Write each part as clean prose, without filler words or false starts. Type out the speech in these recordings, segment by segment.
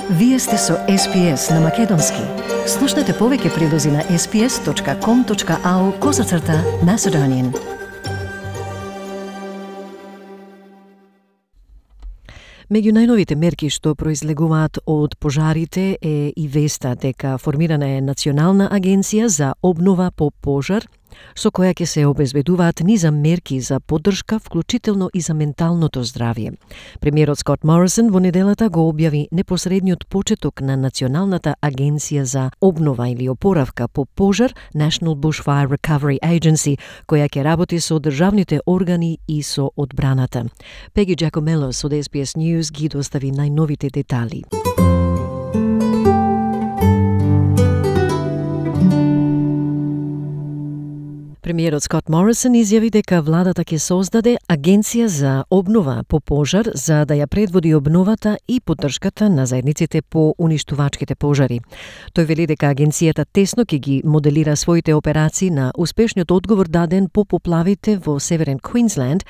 Вие сте со SPS на Македонски. Слушнете повеќе прилози на sps.com.au/Macedonian. Меѓу најновите мерки што произлегуваат од пожарите е и веста дека формирана е Национална агенција за обнова по пожар, со која ќе се обезбедуваат низа мерки за поддршка, вклучително и за менталното здравје. Премиерот Скот Морисон во неделата го објави непосредниот почеток на Националната агенција за обнова или опоравка по пожар, National Bushfire Recovery Agency, која ќе работи со државните органи и со одбраната. Пеги Джакомелос од SBS News ги достави најновите детали. Премиерот Скот Морисон изјави дека владата ќе создаде агенција за обнова по пожар за да ја предводи обновата и поддршката на заедниците по уништувачките пожари. Тој вели дека агенцијата тесно ќе ги моделира своите операции на успешниот одговор даден по поплавите во Северен Квинсленд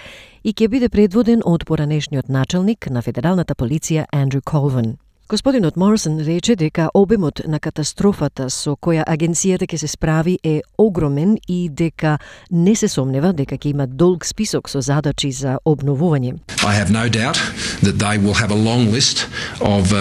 и ќе биде предводен од поранешниот началник на федералната полиција Андрю Колвин. Господинот Морисон рече дека обемот на катастрофата со која агенцијата ќе се справи е огромен и дека не се сомнева дека ќе има долг список со задачи за обновување. I have no doubt that they will have a long list of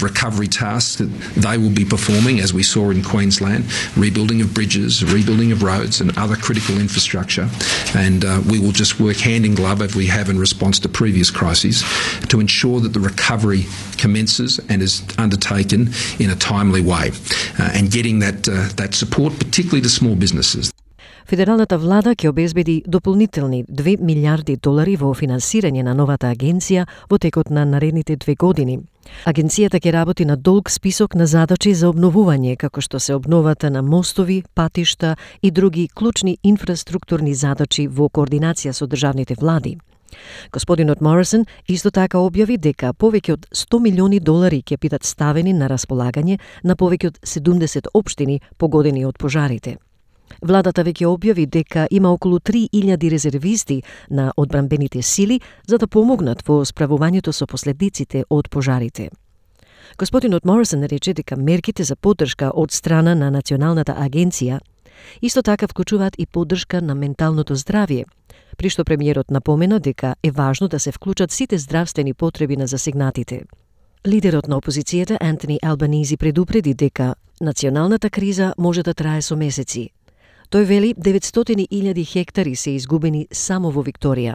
recovery tasks that they will be performing, as we saw in Queensland, rebuilding of bridges, rebuilding of roads and other critical infrastructure, and we will just work hand in glove as we have in response to previous crises to ensure that the recovery commences and is undertaken in a timely way, and getting that support, particularly to small businesses. Федералната влада ќе обезбеди дополнителни $2 милиарди во финансирање на новата агенција во текот на наредните 2 години. Агенцијата ќе работи на долг список на задачи за обновување, како што се обновата на мостови, патишта и други клучни инфраструктурни задачи во координација со државните влади. Господинот Морисон исто така објави дека повеќе од $100 милиони ќе бидат ставени на располагање на повеќе од 70 општини погодени од пожарите. Владата веќе објави дека има околу 3000 резервисти на одбранбените сили за да помогнат во справувањето со последиците од пожарите. Господинот Морисон рече дека мерките за поддршка од страна на Националната агенција исто така вклучуваат и поддршка на менталното здравје, при што премиерот напомена дека е важно да се вклучат сите здравствени потреби на засегнатите. Лидерот на опозицијата Антони Албанизи предупреди дека националната криза може да трае со месеци. Тој вели 900,000 хектари се изгубени само во Викторија.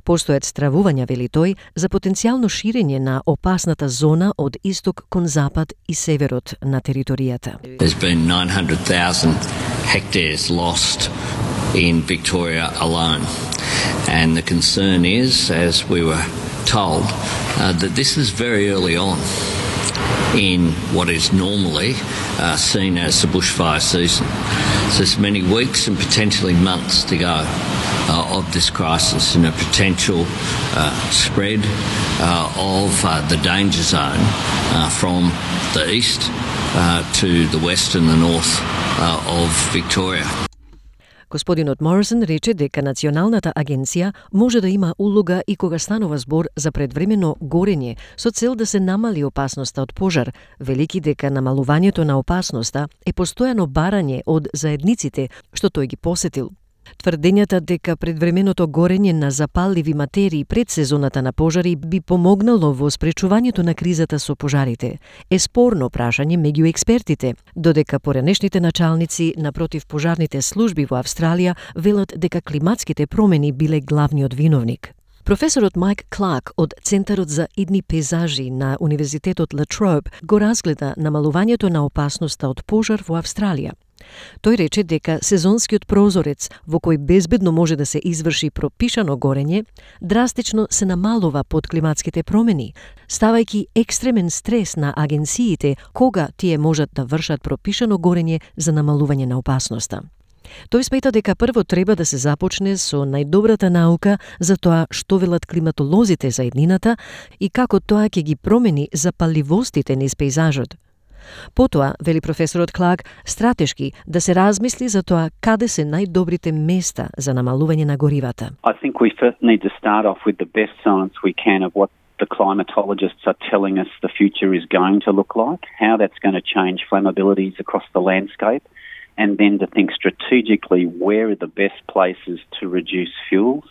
Постојат стравувања, вели тој, за потенцијално ширење на опасната зона од исток кон запад и северот на територијата. There's been 900,000 hectares lost in Victoria alone. And the concern is, as we were told, that this is very early on in what is normally seen as the bushfire season. So there's many weeks and potentially months to go of this crisis and a potential spread of the danger zone from the east to the west and the north of Victoria. Господинот Морисон рече дека Националната агенција може да има улога и кога станува збор за предвремено горење со цел да се намали опасноста од пожар, велики дека намалувањето на опасноста е постојано барање од заедниците што тој ги посетил. Тврдењата дека предвременото горење на запалливи материи пред сезоната на пожари би помогнало во спречувањето на кризата со пожарите е спорно прашање меѓу експертите, додека поранешните началници на противпожарните служби во Австралија велат дека климатските промени биле главниот виновник. Професорот Майк Кларк од Центарот за идни пейзажи на Универзитетот Ла Троbe го разгледа намалувањето на опасноста од пожар во Австралија. Тој рече дека сезонскиот прозорец во кој безбедно може да се изврши пропишано горење, драстично се намалува под климатските промени, ставајќи екстремен стрес на агенциите кога тие можат да вршат пропишано горење за намалување на опасноста. Тој смета дека прво треба да се започне со најдобрата наука за тоа што велат климатолозите за еднината и како тоа ќе ги промени запалливостите низ пейзажот. Потоа, вели професорот Кларк, стратешки да се размисли за тоа каде се најдобрите места за намалување на горивата. I think we first need to start off with the best science we can of what the climatologists are telling us the future is going to look like, how that's going to change flammabilities across the landscape, and then to think strategically where are the best places to reduce fuels.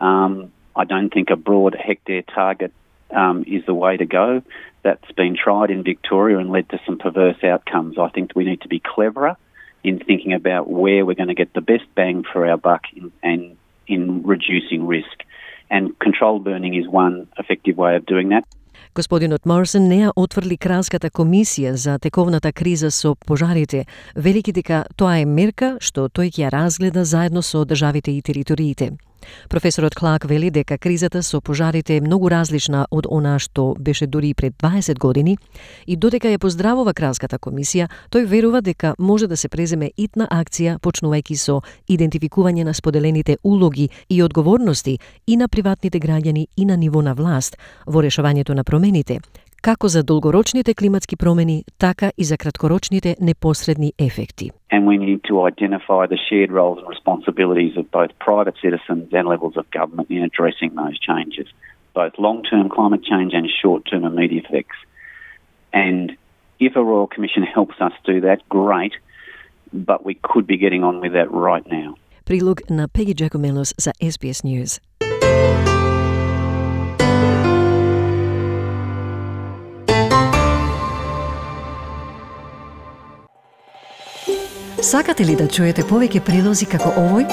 I don't think a broad hectare target is the way to go. That's been tried in Victoria and led to some perverse outcomes. I think we need to be cleverer in thinking about where we're going to get the best bang for our buck in reducing risk. And controlled burning is one effective way of doing that. Господинот Моррисон не ја отврли Кралската комисија за тековната криза со пожарите, велики дека тоа е мерка што тој ќе ја разгледа заедно со државите и териториите. Професорот Кларк вели дека кризата со пожарите е многу различна од она што беше дури пред 20 години и додека ја поздравува Кралската комисија, тој верува дека може да се преземе итна акција почнувајќи со идентификување на споделените улоги и одговорности и на приватните граѓани и на ниво на власт во решавањето на промените, како за долгорочните климатски промени, така и за краткорочните непосредни ефекти. And we need to identify the shared roles and responsibilities of both private citizens and levels of government in addressing those changes, both long-term climate change and short-term immediate effects. And if a Royal Commission helps us do that, great, but we could be getting on with that right now. Прилог на Пеги Джакомелос за SBS News. Сакате ли да чуете повеќе прилози како овој?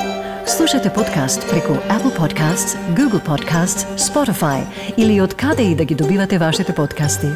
Слушате подкаст преку Apple Podcasts, Google Podcasts, Spotify или од каде и да ги добивате вашите подкасти.